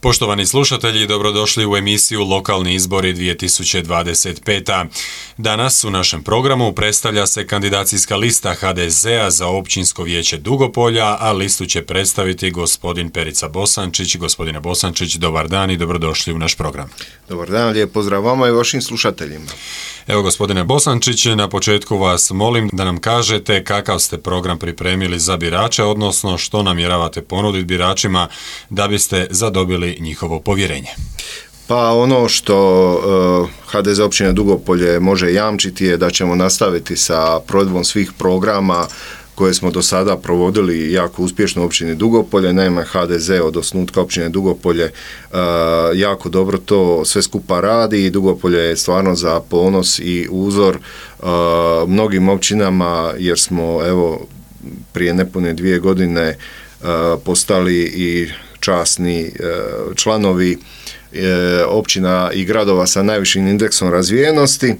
Poštovani slušatelji, dobrodošli u emisiju Lokalni izbori 2025. Danas u našem programu predstavlja se kandidacijska lista HDZ-a za općinsko vijeće Dugopolja, a listu će predstaviti gospodin Perica Bosančić. Gospodine Bosančić, dobar dan i dobrodošli u naš program. Dobar dan, lijep pozdrav vama i vašim slušateljima. Evo, gospodine Bosančić, na početku vas molim da nam kažete kakav ste program pripremili za birače, odnosno što namjeravate ponuditi biračima da biste zadobili njihovo povjerenje. Pa ono što HDZ općine Dugopolje može jamčiti je da ćemo nastaviti sa provedbom svih programa koje smo do sada provodili jako uspješno u općini Dugopolje. Naime, HDZ od osnutka općine Dugopolje jako dobro to sve skupa radi i Dugopolje je stvarno za ponos i uzor mnogim općinama, jer smo evo prije nepune 2 godine postali i časni članovi općina i gradova sa najvišim indeksom razvijenosti.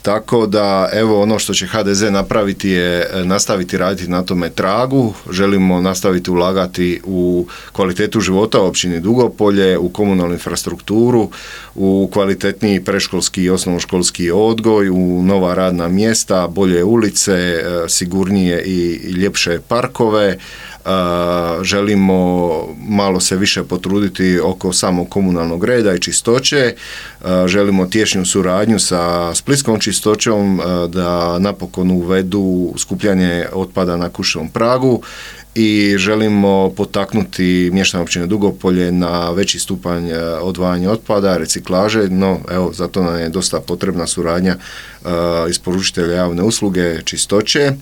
Tako da, evo, ono što će HDZ napraviti je nastaviti raditi na tome tragu. Želimo nastaviti ulagati u kvalitetu života u općini Dugopolje, u komunalnu infrastrukturu, u kvalitetniji predškolski i osnovnoškolski odgoj, u nova radna mjesta, bolje ulice, sigurnije i ljepše parkove. Želimo malo se više potruditi oko samog komunalnog reda i čistoće. Želimo tješnju suradnju sa splitskom čistoćom da napokon uvedu skupljanje otpada na kućnom pragu i želimo potaknuti mještane općine Dugopolje na veći stupanj odvajanja otpada, reciklaže, no evo za to nam je dosta potrebna suradnja isporučitelja javne usluge čistoće.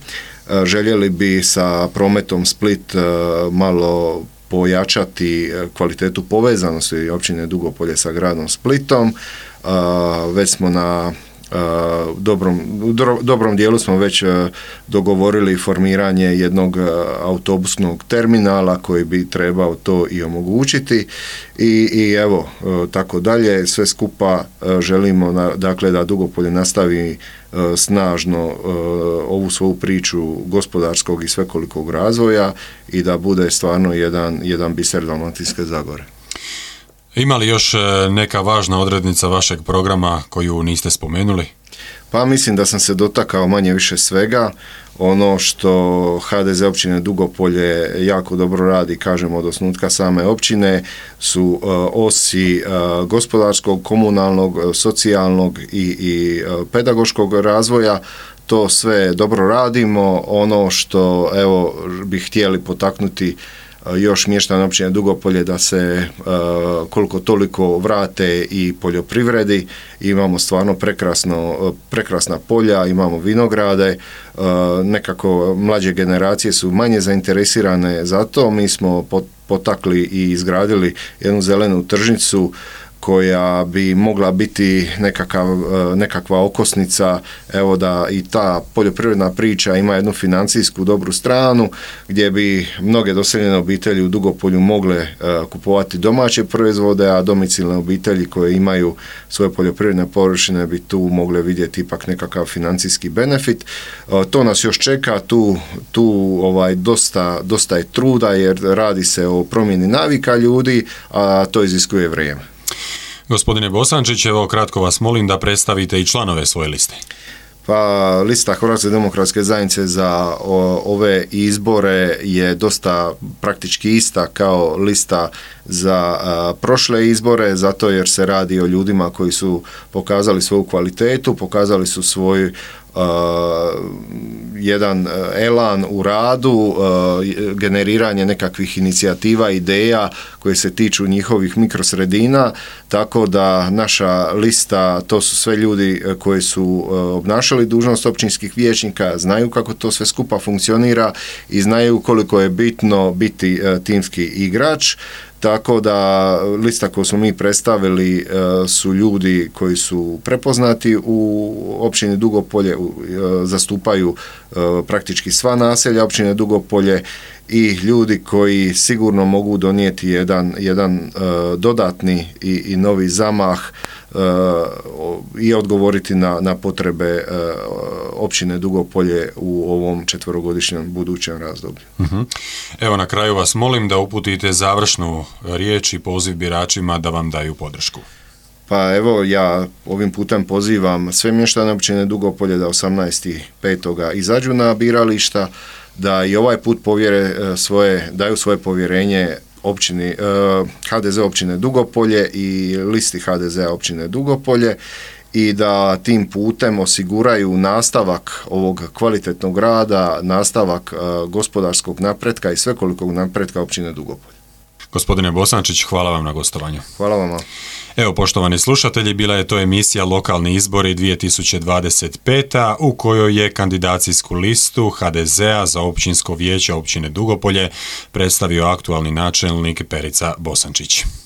Željeli bi sa prometom Split malo pojačati kvalitetu povezanosti općine Dugopolje sa gradom Splitom. Već smo na dobrom dijelu smo već dogovorili formiranje jednog autobusnog terminala koji bi trebao to i omogućiti i evo tako dalje. Sve skupa želimo dakle da Dugopolje nastavi snažno ovu svoju priču gospodarskog i svekolikog razvoja i da bude stvarno jedan biser Dalmatinske Zagore. Ima li još neka važna odrednica vašeg programa koju niste spomenuli? Pa mislim da sam se dotakao manje više svega. Ono što HDZ općine Dugopolje jako dobro radi, kažemo od osnutka same općine, su osi gospodarskog, komunalnog, socijalnog i pedagoškog razvoja. To sve dobro radimo. Ono što evo bi htjeli potaknuti još mještane općine Dugopolje da se koliko toliko vrate i poljoprivredi. Imamo stvarno prekrasna polja, imamo vinograde, nekako mlađe generacije su manje zainteresirane za to. Mi smo potakli i izgradili jednu zelenu tržnicu koja bi mogla biti nekakva okosnica, evo da i ta poljoprivredna priča ima jednu financijsku dobru stranu gdje bi mnoge doseljene obitelji u Dugopolju mogle kupovati domaće proizvode, a domicilne obitelji koje imaju svoje poljoprivredne površine bi tu mogle vidjeti ipak nekakav financijski benefit. To nas još čeka, tu dosta je truda jer radi se o promjeni navika ljudi, a to iziskuje vrijeme. Gospodine Bosančić, evo kratko vas molim da predstavite i članove svoje liste. Pa lista Hrvatske demokratske zajednice za ove izbore je dosta praktički ista kao lista za prošle izbore, zato jer se radi o ljudima koji su pokazali svoju kvalitetu, pokazali su svoj jedan elan u radu, generiranje nekakvih inicijativa, ideja koje se tiču njihovih mikrosredina, tako da naša lista, to su sve ljudi koji su obnašali dužnost općinskih vijećnika, znaju kako to sve skupa funkcionira i znaju koliko je bitno biti timski igrač. Tako da lista koju smo mi predstavili su ljudi koji su prepoznati u općini Dugopolje, zastupaju praktički sva naselja općine Dugopolje i ljudi koji sigurno mogu donijeti jedan dodatni i novi zamah i odgovoriti na potrebe općine Dugopolje u ovom četverogodišnjem budućem razdoblju. Evo, na kraju vas molim da uputite završnu riječ i poziv biračima da vam daju podršku. Pa evo, ja ovim putem pozivam sve mještane općine Dugopolje da 18.5. izađu na birališta, da i ovaj put daju svoje povjerenje općini, HDZ općine Dugopolje i listi HDZ-a općine Dugopolje i da tim putem osiguraju nastavak ovog kvalitetnog rada, nastavak gospodarskog napretka i svekolikog napretka općine Dugopolje. Gospodine Bosančić, hvala vam na gostovanju. Hvala vama. Evo, poštovani slušatelji, bila je to emisija Lokalni izbori 2025. u kojoj je kandidacijsku listu HDZ-a za općinsko vijeće općine Dugopolje predstavio aktualni načelnik Perica Bosančić.